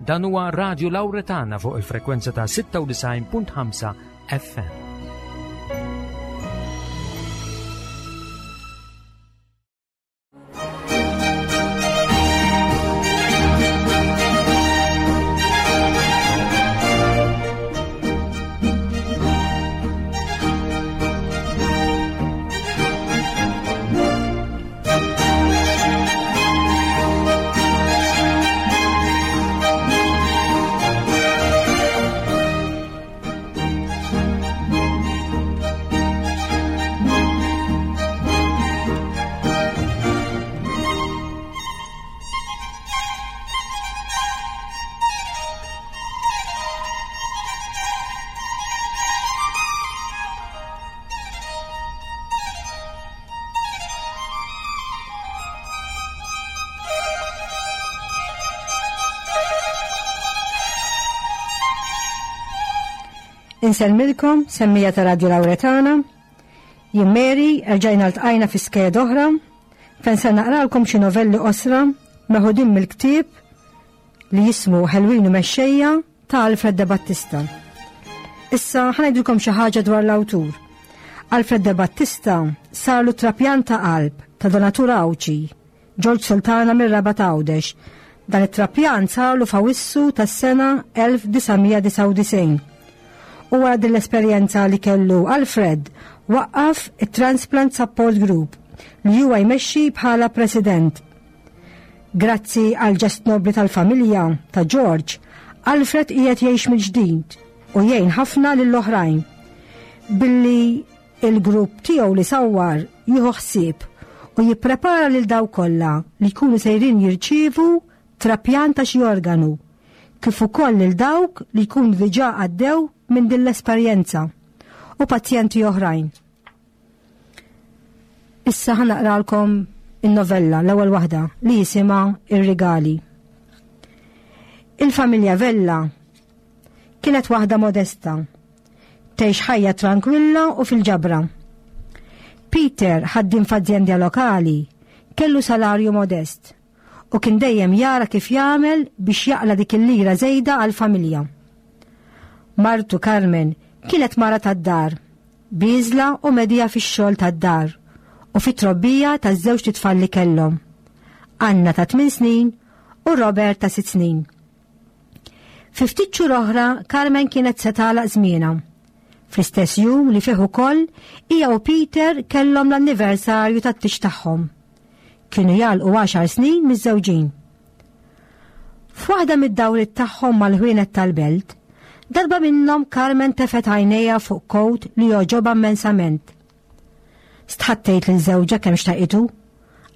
Dan huwa Radio Lauretana fuq il-frekwenza ta' 96.5 FM. Insellmilkom, semmija ta' Radio Lauretana. Jien Mary, erġajna ltqajna fi skeda oħra, fejn se naqralkom xi novelli qosra meħudin mill-ktieb li jismu Ħelwin u Mexxejja ta' Alfred De Battista. Issa ħanajdilkom xi ħaġa dwar l-awtur. Alfred De Battista sarlu trapjant ta' qalb ta' donatur Għawdxi, Ġorġ Sultana mir-Rabat Għawdex. Dan it-trapjant sarlu f'Awissu tas-sena 1999. U wara din l-esperjenza li kellu Alfred waqqaf it-Transplant Support Group li huwa jmexxi bħala president. Grazzi għal ġest nobli tal-familja ta' George, Alfred qiegħed jgħix mill-ġdid u jgħin ħafna lill-oħrajn. Billi il-grupp tiegħu li sawwar jieħu ħsieb u jipprepara lil daw kollha li jkunu sejrin jirċievu trapjant ta' xi organu, kif ukoll lil dawk li jkunu diġà għaddew minn din l-esperjenza u pazjenti oħrajn. Issa ħa naqralkom in-novella l-ewwel waħda li jisimha Ir-Rigali. Il-familja Vella kienet waħda modesta, tgħix ħajja trankwilla u fil-ġabra. Peter ħaddiem f'azjenda lokali, kellu salarju modest u kien dejjem jara kif jagħmel biex jaqla dik il-lira żejda għall-familja. Martu Carmen kienet mara tad-dar, bieżla u medija fix-xogħol tad-dar u fit-trobbija taż-żewġt itfal li kellhom, Anna ta' tminn snin u Robert ta' sitt snin. Fi ftit xhur oħra Carmen kienet se tagħlaq żmienha. Fl-istess jum li fih ukoll hija u Peter kellhom l-anniversarju tat-tieġ tagħhom. Kienu jagħlqu għaxar snin miżżewġin. F'waħda mid-dawriet tagħhom mal-ħwienet tal-belt, darba minnhom Carmen tefgħet għajnejha fuq kowt li jogħġobha immensament. Stħat tgħid lil żewġha kemm xtaqitu,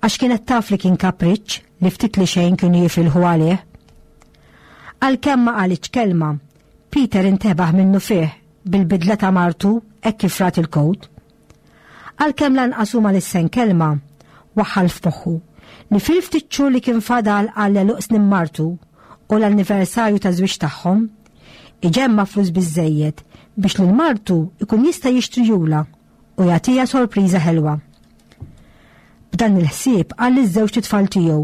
għax kienet taf li kien kapriċċ li ftit li xejn kienu jifilħu għalih. Għalkemm ma qalitx kelma, Peter intebaħ minnufih bil-bidla ta' martu hekk kif rat il-kowt. Għalkemm lanqas hu ma lissen kelma, waħħal f'moħħu li fil-ftit xhur li kien fadal għal għeluq snin martu u l-anniversarju taż-żwieġ tagħhom, iġemma' flus biżżejjed biex lil martu jkun jista' jixtrijulha u jagħtiha sorpriża ħelwa. B'dan il-ħsieb qal liż-żewġt itfal tiegħu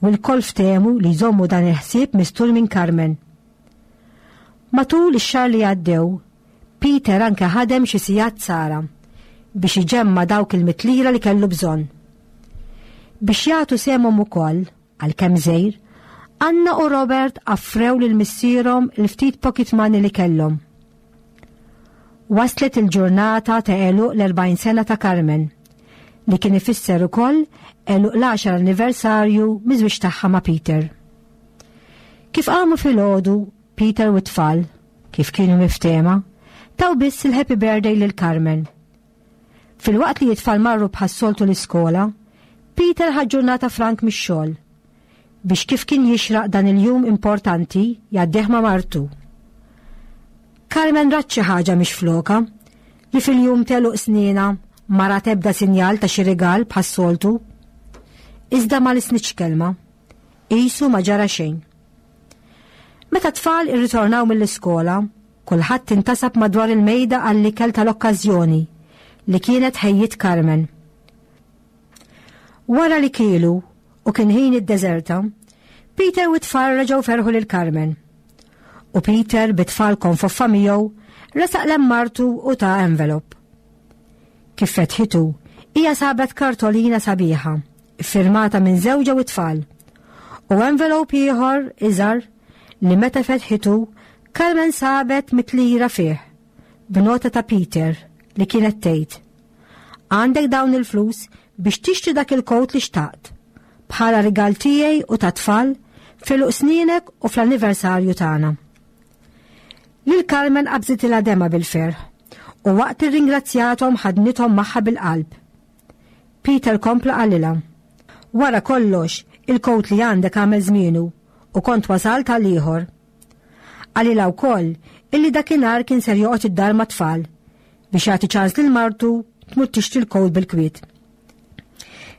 u lkoll ftehmu li jżommu dan il-ħsieb mistur minn Carmen. Matul ix-xahar li għaddew, Peter anke ħadem xi sigħat sara biex iġemma' dawk il-mitt lira li kellu bżonn. Biex jagħtu sehemhom ukoll, għalkemm żgħir, Anna u Robert affrew lil missierhom il-ftit pocket money li kellhom. Waslet il-ġurnata ta' għeluq l-40 sena ta' Carmen, li kien ifisser ukoll għeluq l-għaxar anniversarju miż-żwieġ tagħha ma' Peter. Kif qamu filgħodu, Peter u t-tfal, kif kienu miftehma, taw biss il-happy birthday lil Carmen. Filwaqt li t-tfal marru bħas-soltu l-iskola, Peter ħa ġurnata frank mix-xogħol biex kif kien jixraq dan il-jum importanti jgħaddih ma' martu. Carmen rat xi ħaġa mhix floka li fil-jum t'għeluq snienha ma rat ebda sinjal ta' xi rigal bħas-soltu. Iżda ma lisnitx kelma. Qisu ma ġara xejn. Meta t-tfal irritornaw mill-iskola, kulħadd intasab madwar il-mejda għall-ikel tal-okkażjoni li kienet ħejjiet Carmen. Wara li kielu u kien ħin id-deżerta, Peter u t-tfal reġgħu ferħu lil Carmen. U Peter bit-tfal konfoffa miegħu resaq lem martu u ta envelop. Kif fetħitu, hija sabet kartolina sabiħa, iffirmata minn żewġha u t-tfal. U envelop ieħor iżgħar li meta fetħitu Carmen sabet mitlira fih b'nota ta' Peter li kienet tgħid: Għandek dawn il-flus biex tixtri dak il-kowt li xtaqt, bħala rigal tiegħi u tat-tfal f'għeluq sninek u fl-anniversarju tagħna. Lil Carmen qabżitilha demgħa bil-ferħ u waqt irringrazzjathom ħadnithom magħha bil-qalb. Peter kompla qalilha, Wara kollox, il-kowt li għandek għamel żmienu u kont wasalt għal ieħor. Qalilha wkoll illi dakinhar kien ser joqgħod id-dar mat-tfal biex jagħti ċans lil martu tmur tixtri l-kowt bil-kwiet.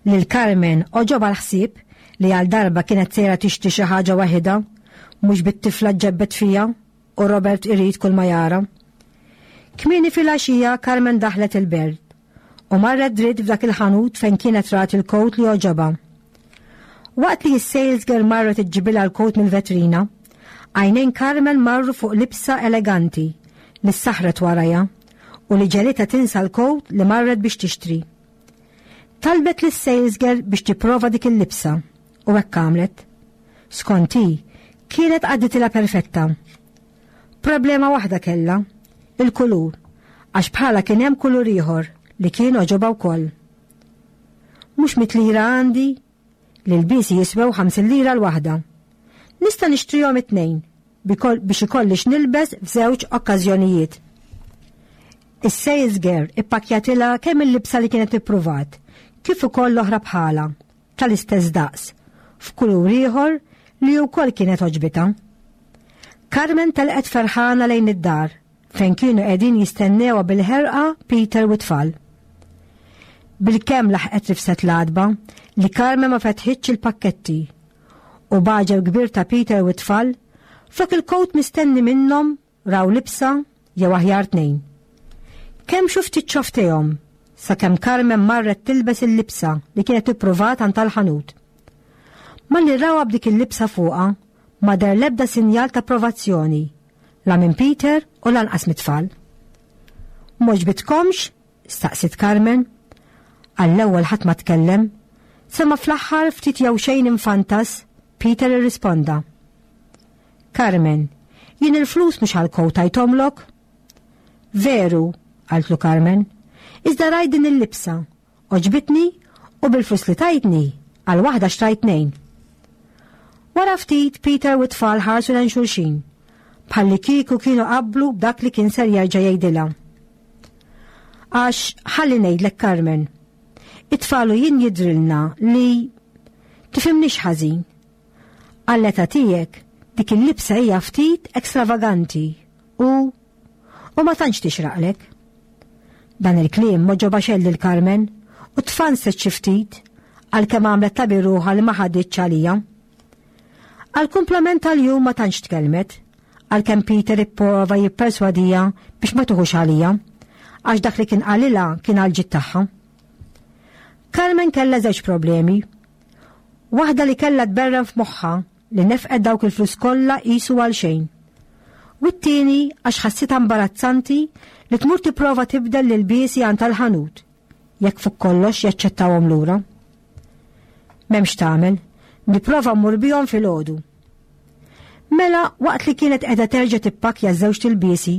Lil Carmen għoġobha l-ħsieb li għal darba kienet sejra tixtri xi ħaġa waħidha, mhux bit-tifla ġġebbed fiha u Robert irid kull ma jara. Kmieni filgħaxija Carmen daħlet il-belt u marret dritt f'dak il-ħanut fejn kienet rat il-kowt li għoġobha. Waqt li s-sales girl marret iġġibilha l-kowt mill-vetrina, għajnejn Carmen marru fuq libsa eleganti li ssaħħret warajha u li ġegħlitha tinsa l-kowt li marret biex tixtri. Talbet lis-sales girl biex tipprova dik il-libsa u hekk għamlet. Skont hi, kienet għadditilha perfetta. Problema waħda kellha, il-kulur, għax bħala kien hemm kulur ieħor li kien għoġobha wkoll. Mhux mit lira għandi? L-ilbiesi jiswew 50 lira l-waħda. Nista' nixtrihom it-tnejn biex ikolli x'nilbes f'żewġ okkażjonijiet. Is-sales girl ippakkjatilha kemm il-libsa li kienet ippruvat, kif ukoll l-oħra bħalha, tal-istess daqs, f'kulur ieħor li wkoll kienet għoġbitha. Carmen telqet ferħana lejn id-dar fejn kienu qegħdin jistennewha bil-ħerqa Peter u t-tfal. Bilkemm laħqet rifset l-għatba li Carmen ma fetħitx il-pakketti u b'għaġeb kbir ta' Peter u t-tfal, flok il-kowt mistenni minnhom raw libsa jew aħjar tnejn. Kemm xu ftit xoftejhom sakemm Carmen marret tilbes il-libsa li kienet ippruvat għand tal-ħanut. Malli rawha b'dik il-libsa fuqha, ma deher l-ebda sinjal ta' approvazzjoni, la minn Peter u lanqas mit-tfal. M'għoġbitkomx? staqsiet Carmen. Għall-ewwel ħadd ma tkellem, sa ma fl-aħħar ftit jew xejn infantas, Peter irrisponda. Carmen, jien il-flus mhux għall-kowt tajthomlok? Veru, qaltlu Carmen, iżda rajt din il-libsa, għoġbitni u bil-flus li tajtni għal waħda xtrajt tnejn. Wara ftit Peter u t-tfal ħarsu lejn xulxin, bħallikieku kienu qablu b'dak li kien ser jerġa' jgħidilha. Għax ħalli ngħidlek Carmen, it-tfal u jien jidhrilna li tifhimnix ħażin. Għall-età tiegħek dik il-libsa hija ftit ekstravaganti u u ma tantx tixraqlek. Dan il-kliem m'għoġobha xejn lil Carmen u tfanset xi ftit għalkemm għamlet ta' ruħha li ma ħaditx għalija. Għall-kumplament tal-jum ma tantx tkellmet, għalkemm Peter ipprova jipperswadija biex ma tuħux għalija, għax dak li kien qalilha kien għall-ġid tagħha. Carmen kellha żewġ problemi. Waħda li kellha tberren f'moħħha li nefqet dawk il-flus kollha qisu għal xejn. U t-tieni għax ħassitha imbarazzanti li tmur tipprova tibdel l-ilbiesi għand tal-ħanut, jekk fuq kollox jaċċettawhom lura. M'hemmx tagħmel, nipprova mmur bihom filgħodu. Mela waqt li kienet qiegħda terġa' tippakkja ż-żewġt ilbiesi,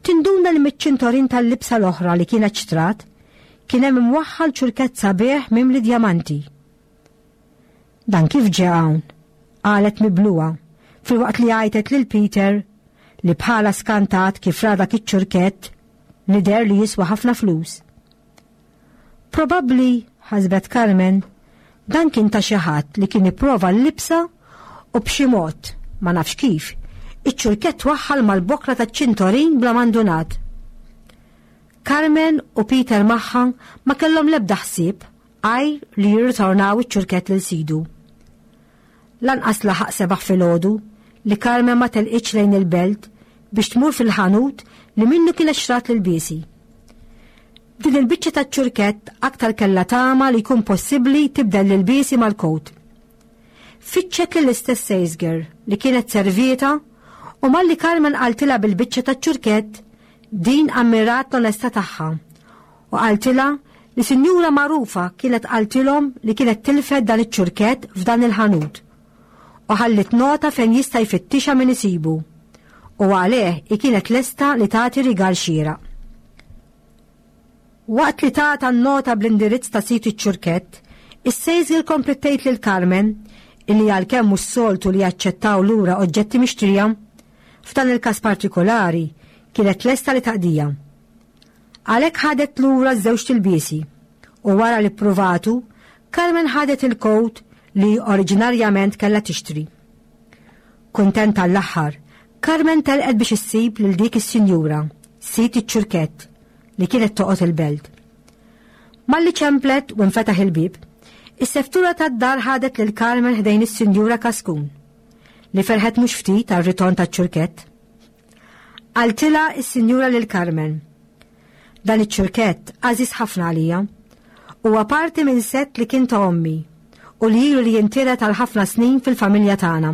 tinduna li miċ-ċintorin tal-libsa l-oħra li kienet xtrat kien hemm imwaħħal ċurkett sabiħ mimli djamanti. Dan kif ġie hawn? qalet mibluha filwaqt li għajtet lil Peter li bħala skantat kif ra dak iċ-ċurkett li deher li jiswa ħafna flus. Probabbli, ħasbet Carmen, dan kien ta' xi ħadd li kien ipprova l-libsa u b'xi mod, ma nafx kif, iċ-ċurkett waħħal mal-bokla taċ-ċintorin bla ma ndunat. Carmen u Peter magħha ma kellhom l-ebda ħsieb għajr li jirritornaw iċ-ċurkett lil sidu. Lanqas laħaq sebaħ filgħodu li Carmen ma telqitx lejn il-belt biex tmur fil-ħanut li minnu kienet xtrat l-ilbiesi. Din il-biċċa taċ-ċurkett aktar kellha tama li jkun possibbli tibdel l-ilbiesi mal-kowt. Fittxet lill-istess sales girl li kienet servieta u malli Carmen qaltilha bil-biċċa taċ-ċurkett, din ammirat l-onestà tagħha u qaltilha li sinjura magħrufa kienet qaltilhom li kienet tilfet dan iċ-ċurkett f'dan il-ħanut u ħalliet nota fejn jista' jfittixha min isibu u għalih hi kienet lesta li tagħti rigal xieraq. Waqt li tatha n-nota bl-indirizz ta' sid iċ-ċurkett, is-sales girl kompliet tgħid lil Carmen illi għalkemm mhux soltu li jaċċettaw lura oġġetti mixtrija, f'dan il-każ partikolari kienet lesta li taqdiha. Għalhekk ħadet lura ż-żewġt ilbiesi u wara li ppruvatu, Carmen ħadet il-kowt li oriġinarjament kellha tixtri. Kuntenta għall-aħħar, Carmen telqet biex issib lil dik is-sinjura, sid iċ-ċurkett, li kienet toqgħod il-belt. Malli ċemplet u nfetaħ il-bieb, is-seftura tad-dar ħadet lil Carmen ħdejn is-Sinjura Kaskun, li ferħet mhux ftit għar-ritorn taċ-ċurkett. Qaltilha s-Sinjura lil Carmen. Dan iċ-ċurkett għażiż ħafna għalija. Huwa parti minn sett li kien ta' ommi u li ilu li jintiret għal ħafna snin fil-familja tagħna.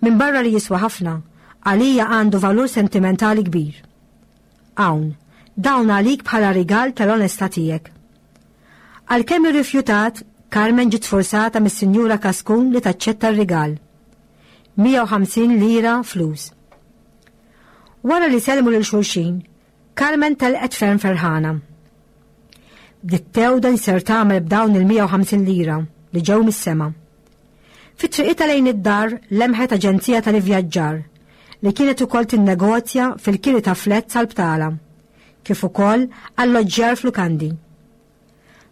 Minbarra li jiswa ħafna, għalija għandu valur sentimentali kbir. Hawn, dawn għalik bħala rigal tal-onestà tiegħek. Għalkemm irrifjutat, Carmen ġiet sforzata mis-Sinjura Kaskun li taċċetta r-rigal. 150 lira flus. Wara li sellmu lil xulxin, Carmen telqet ferm ferħana. Bdiet tewda li ser tagħmel b'dawn il-150 lira li ġew mis-sema. Fi triqitha lejn id-dar lemħet aġenzija tal-ivvjaġġar li kienet ukoll tinnegozja fil-kiri ta' flats għall-btala, kif ukoll alloġġjar f'lukandi.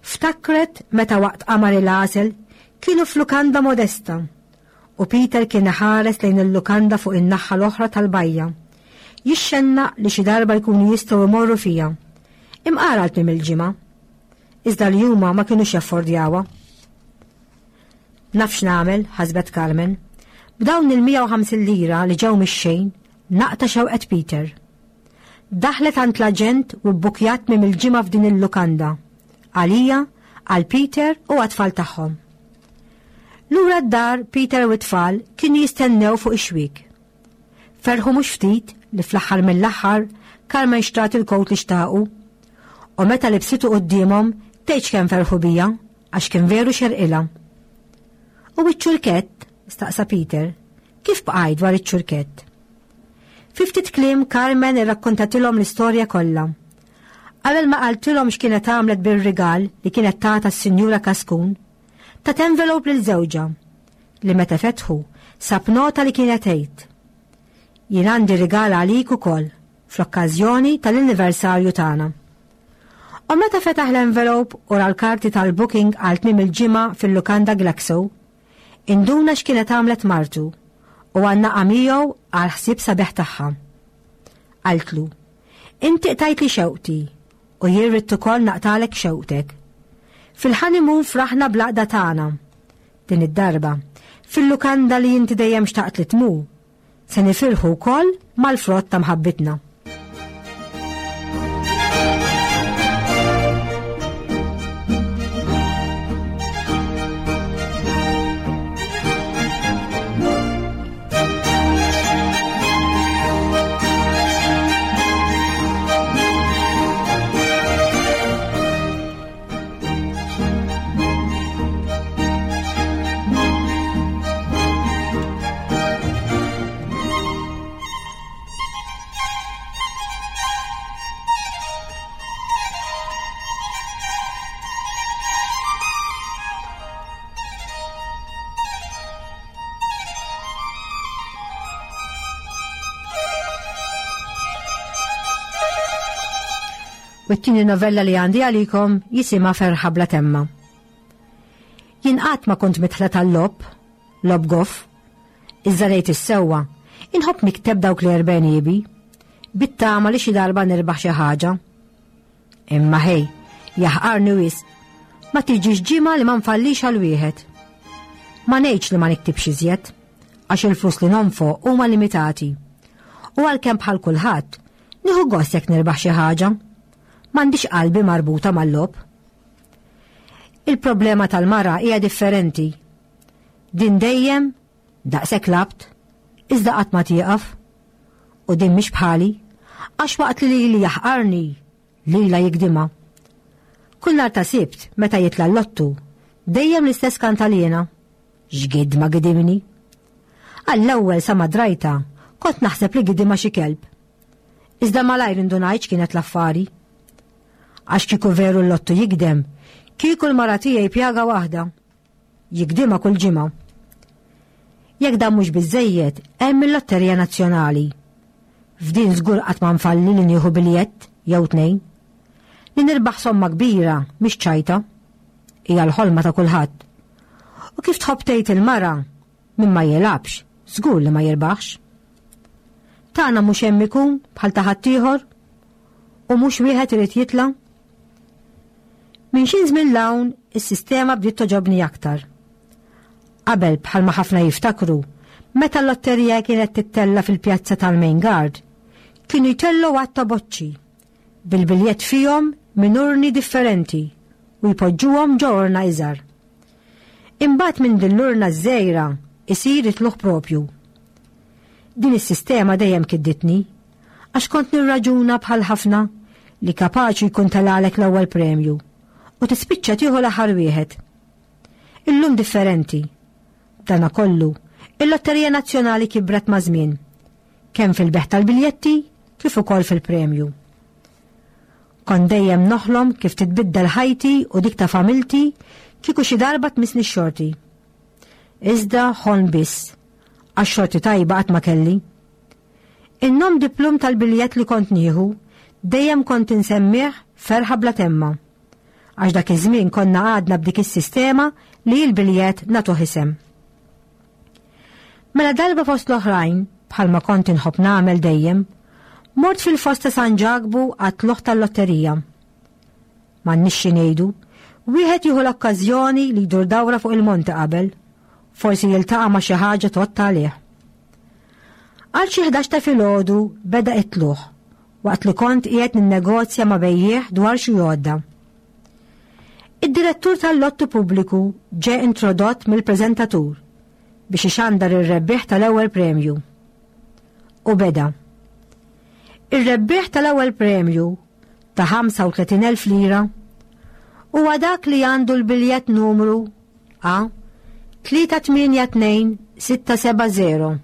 Ftakret meta waqt qamar il-għasel kienu f'lukanda modesta u Peter kien iħares lejn il-lukanda fuq in-naħa l-oħra tal-bajja, jixxennaq li xi darba jkunu jistgħu jmorru fiha. Imqar għal tmiem il-ġimgħa. Iżda li huma ma kinux jaffordjawha. Naf x'nagħmel, ħasbet Carmen. B'dawn il-150 lira li ġew mix-xejn, naqta' xewqet Peter. Daħlet għand l-aġent u bbukjat tmiem il-ġimgħa f'din il-lukanda. Għalija, għal Peter u għat-tfal tagħhom. Lura d-dar Peter u t-tfal kienu jistennew fuq ix-xwiek. Ferħu mhux ftit li fl-aħħar mill-aħħar Carmen xtrat il-kowt li xtaqu. U meta libsitu quddiemhom tgħidx kemm ferħu bija għax kien veru xerqilha. U iċ-ċurkett? staqsa Peter. Kif bqajt dwar iċ-ċurkett? Fi ftit kliem Carmen irrakkontatilhom l-istorja kollha. Qabel ma qaltilhom x'kienet għamlet bir-rigal li kienet tata s-Sinjura Kaskun, tat envelope lil żewġha li meta fetħu sab nota li kienet tgħid. Jien għandi rigal għalik ukoll fl-okkażjoni tal-anniversarju tagħna. U meta fetaħ l-envelope u ra l-karti tal-booking għal tmiem il-ġimgħa fil-lukanda Glaxo, Induna x'kienet għamlet martu u għannaqha miegħu għall-ħsieb sabiħ tagħha. Qaltlu, Inti qtajtli xewqti u jien ridt ukoll naqtagħlek xewqtek. Fil-honeymoon fraħna bl-għaqda tagħna. Din id-darba, fil-lukanda li inti dejjem xtaqt li tmur, Se nifirħu wkoll mal-frott ta' mħabbitna. U t-tieni novella li għandi għalikom jisimha Ferħa bla temma. Jien qatt ma kont mitħla tal-lob, lob goff, iżda ngħid is-sewwa, inħobb nikteb dawk li erbenibi, bit-tama li xi darba nirbaħ xi ħaġa. Imma ħej, jaħqarni wisq, ma tiġix ġimgħa li ma nfallix għal wieħed. Ma ngħidx li ma niktibx iżjed, għax il-flus li nonfoq huma limitati. U għalkemm bħal kulħadd, Nieħu gost jekk nirbaħ xi ħaġa. M'għandix qalbi marbuta mal-logħob. Il-problema tal-mara hija differenti. Din dejjem daqshekk labt, iżda qatt ma tieqaf. U din mhix bħali, għax waqt li lili jaħqarni, lilha jigdimha. Kull nhar ta' Sibt meta jitla' l-lottu, dejjem l-istess kantaliena. X'gidma gidimni! Għall-ewwel sa ma drajtha, kont naħseb li gidimha xi kelb. Iżda malajr indunajt x'kienet l-affari. Għax kieku veru l-lottu jigdem, kieku l-mara tiegħi pjaga waħda. Jigdimha kull ġimgħa. Jekk dan mhux biżżejjed, hemm il-Lotterija Nazzjonali. F'din żgur qatt ma nfalli li nieħu biljett jew tnejn. Li nirbaħ somma kbira mhix ċajta. Hija l-ħolma ta' kulħadd. U kif tħobb tgħid il-mara, min ma jilgħabx, żgur li ma jirbaħx. Tagħna mhux hemm ikun bħal ta' ħaddieħor? U mhux wieħed irid jitla'? Minn xi żmien 'l hawn is-sistema bdiet toġobni aktar. Qabel bħalma ħafna jiftakru, meta l-lotterija kienet tittella' fil-pjazza tal-Main Guard, kienu jtellgħu għadd ta' boċċi bil-biljett fihom minn urni differenti u jpoġġuhom ġo urna iżgħar. Imbagħad minn din l-urna ż-żgħira isir it-tlugħ propju. Din is-sistema dejjem kidditni għax kont nirraġuna bħal ħafna li kapaċi jkun telgħalek l-ewwel premju u tispiċċa tieħu l-aħħar wieħed. Illum differenti. B'dana kollu, il-Lotterija Nazzjonali kibret maż-żmien, kemm fil-bejgħ tal-biljetti kif ukoll fil-premju. Kont dejjem noħlom kif titbiddel ħajti u dik ta' familti kieku xi darba tmissni x-xorti. Iżda ħolm biss, għax xorti tajba qatt ma kelli. In-nom diplum tal-biljett li kont nieħu dejjem kont insemmih ferħa bla temma. Għax dak iż-żmien konna għadna b'dik is-sistema li l-biljett nagħtuh isem. Mela darba fost l-oħrajn, bħalma kont inħobb nagħmel dejjem, mort fil-foss ta' San Ġakbu għat-tlugħ tal-lotterija. M'għandniex xi ngħidu, wieħed jieħu l-okkażjoni li jdur dawra fuq il-monti qabel, forsi jiltaqa' ma' xi ħaġa tgħodd għalih. Għal xi 11 ta' filgħodu beda it-tlugħ waqt li kont qiegħed ninnegozja ma' bejjiegħ dwar xi għodda. Id-direttur tal-lottu pubbliku ġe introdott mill-preżentatur biex ixandar ir-rebbieħ tal-ewwel premju. U beda. Ir-rebbieħ tal-ewwel premju ta' 35,000 lira huwa dak li għandu l-biljett numru A 382670.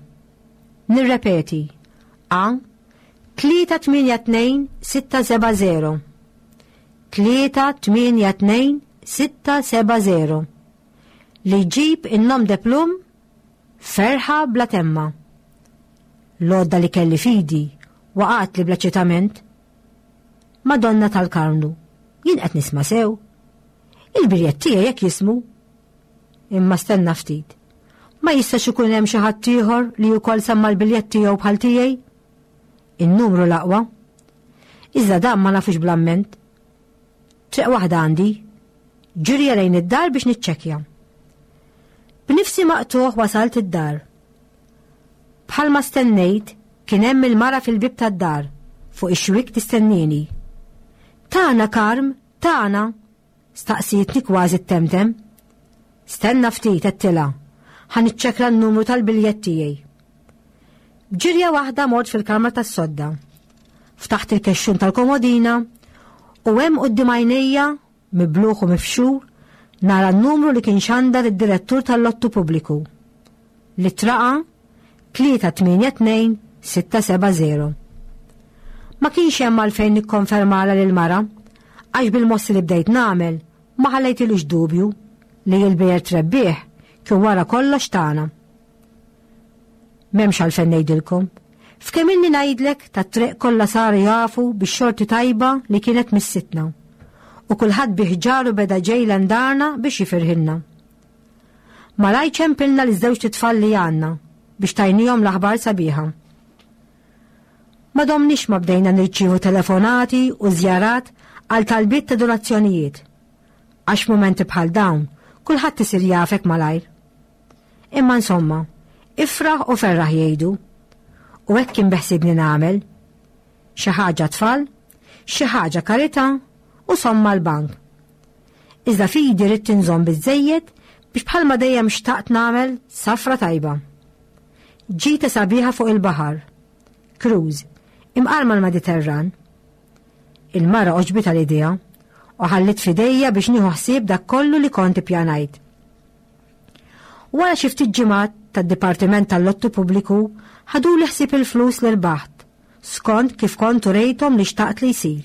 Nirrepeti, A 382670. 382670. Li jġib in-nom de plum ferħa bla temma. L-għodda li kelli fidi waqgħet li bl-eċitament. Madonna tal-Karmnu, jien qed nisma' sew. Il-biljett tiegħi hekk jismu. Imma stenna ftit. Ma jistax ikun hemm xi ħadd ieħor li wkoll semma l-biljett tiegħu bħal tiegħi? In-numru l-aqwa. Iżda dan ma nafux bl-amment. Triq waħda għandi. Ġirja lejn id-dar biex niċċekkja. B'nifsi maqtuħ wasalt id-dar. Bħalma stennejt, kien hemm il-mara fil-bieb tad-dar, fuq ix-xwiek tistennini. Tagħna Karm, tagħna! Staqsietni kważi ttemtem. Stenna ftit, għedtilha, ħa niċċekkla n-numru tal-biljett tiegħi. B'ġirja waħda mort fil-kamra tas-sodda. Ftaħt il-kexxun tal-komodina u hemm quddiem għajnejja, mibluħ u mifxur, nara n-numru li kien xandar id-direttur tal-lottu pubbliku. L-ittra A 382670. Ma kienx hemm għalfejn nikkonfermala lil mara għax bil-mossi li bdejt nagħmel ma ħallejtilux dubju li l-bejert rebbieħ kien wara kollox tagħna. M'hemmx għalfejn ngħidilkom. F'kemm inni ngħidlek tat-triq kollha saru jafu bix-xorti tajba li kienet missitna. U kulħadd bi ħġaru beda ġej l-darna biex jifirħilna. Malajr ċempilna liż-żewġt itfal li għandna biex tajnihom l-aħbar sabiħa. Ma domniex ma bdejna nirċievu telefonati u żjarat għal talbiet ta' donazzjonijiet. Għax f'mumenti bħal dawn, kulħadd isir jafek malajr. Imma insomma, ifraħ u ferraħ jgħidu. U hekk kien beħsiebni nagħmel. Xi ħaġa tfal, xi ħaġa karità u somma l-bank. Iżda fidi ridt inżomm biżżejjed biex bħalma dejjem xtaqt nagħmel safra tajba. Ġita sabiħa fuq il-baħar. Cruise, imqar mal-Mediterran. Il-mara għoġbitha l-idea u ħallit f'idejja biex nieħu ħsieb dak kollu li kont ippjanajt. Wara xi ftit ġimgħat tad-Dipartiment tal-Lottu Pubbliku ħaduli ħsieb il-flus li rbaħt, skont kif kont urejthom li xtaqt li jsir.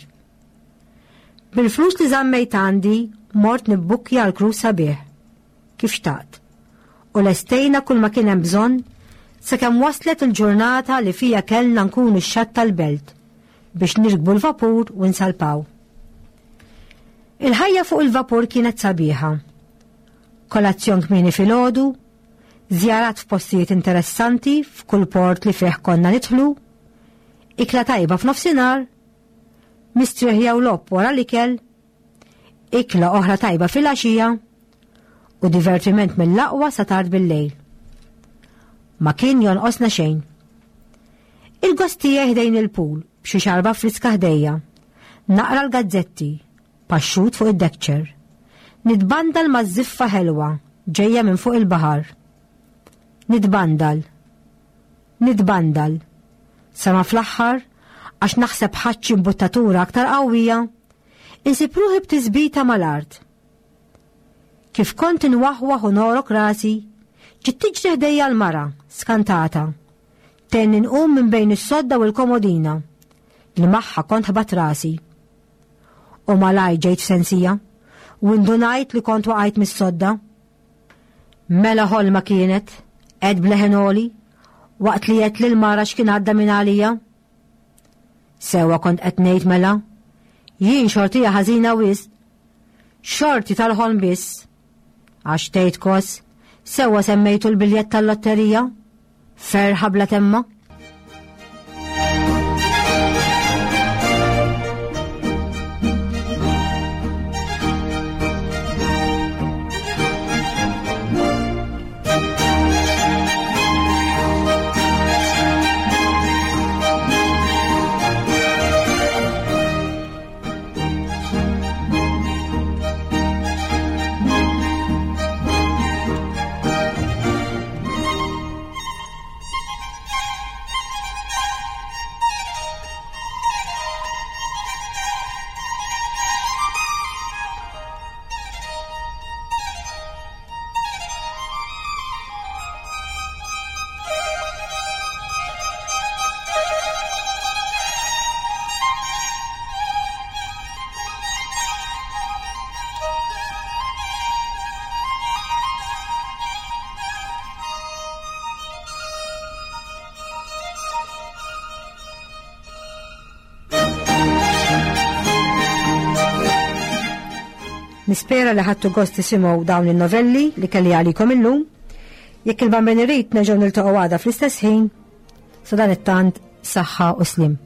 Bil-flus li żammejt għandi mort nibbukkja għal cruise sabiħ, kif xtaqt, u lestejna kull ma kien hemm bżonn sakemm waslet il-ġurnata li fija kellna nkunu x-xatt tal-belt biex nirkbu l-vapur u nsalpaw. Il-ħajja fuq il-vapur kienet sabiħa. Kolazzjon kmieni filgħodu, żjarat f'postijiet interessanti f'kull port li fih konna nidħlu, ikla tajba f'nofsinhar, mistrieħ jew logħob wara l-ikel, ikla oħra tajba filgħaxija u divertiment mill-aqwa sa tard bil-lejl. Ma kien jonqosna xejn. Il-gost tiegħi ħdejn il-pool b'xi xarba friska ħdejja. Naqra l-gazzetti, paxxut fuq id-deckchair. Nitbandal ma' żiffa ħelwa ġejja minn fuq il-baħar. Nitbandal. Nitbandal. Sa ma fl-aħħar, għax naħseb ħadt xi imbuttatura aktar qawwija, insib ruħi b'tisbita mal-art. Kif kont inwaħwaħ u norok rasi, ġiet tiġri ħdejja l-mara, skantata. Tgħinni nqum minn bejn is-sodda u l-komodina, li magħha kont ħbatt rasi. U malajr ġejt f'sensija, u indunajt li kont waqajt mis-sodda. Mela ħolma kienet, għedt b'leħen għoli, waqt li għedt lill-mara x'kien għadda minn għalija. Sewwa kont qed ngħid mela, jien xortija ħażina wisq. Xorti tal-ħolm biss. Għax tgħid kos, sewwa semmejtu l-biljett tal-lotterija? Ferħa bla temma? Nispera li ħadtu gost tisimgħu dawn in-novelli li kelli għalikom illum. Jekk il-Bambin irid nerġgħu niltaqgħu għada fl-istess ħin. Sa dan it-tant saħħa u slim.